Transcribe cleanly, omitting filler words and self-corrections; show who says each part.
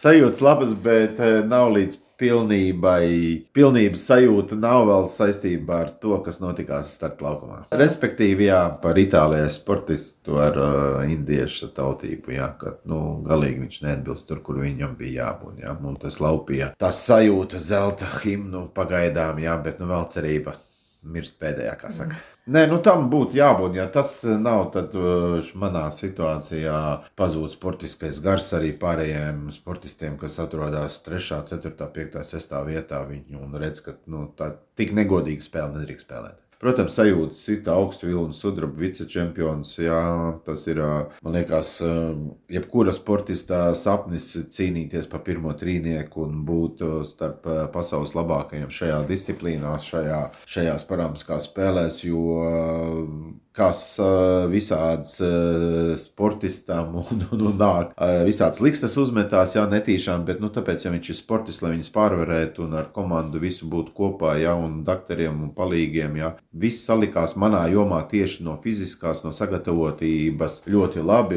Speaker 1: sajūtas labas, bet nav līdz pilnības sajūta nav vēl saistībā ar to, kas notikās startlaukumā. Respektīvi, jā, par Itālijas sportistu ar indiešu tautību, jā, ka, galīgi viņš neatbilst tur, kur viņam bija jābūt, jā, un tas laupīja. Tā sajūta zelta himnu pagaidām, jā, bet vēl cerība mirst pēdējā, kā saka. Nē, tam būtu jābūt, ja tas nav, tad manā situācijā pazūd sportiskais gars arī pārējiem sportistiem, kas atrodas 3., 4., 5., 6. vietā, viņi un redz, ka tā tik negodīga spēle nedrīkst spēlēt. Protams, sajūtas sita augstu vilnu sudraba vicečempions, jā, tas ir, man liekas, jebkura sportistā sapnis cīnīties pa pirmo trīnieku un būt starp pasaules labākajiem šajā disciplīnā, šajās paramskās spēlēs, jo kas visāds sportistam un nāk, visāds likstas uzmetās, jā, netīšām, bet, tāpēc, ja viņš ir sportists, lai viņus pārvarētu un ar komandu visu būtu kopā, jā, un dakteriem un palīgiem, jā, viss salikās manā jomā tieši no fiziskās, no sagatavotības ļoti labi.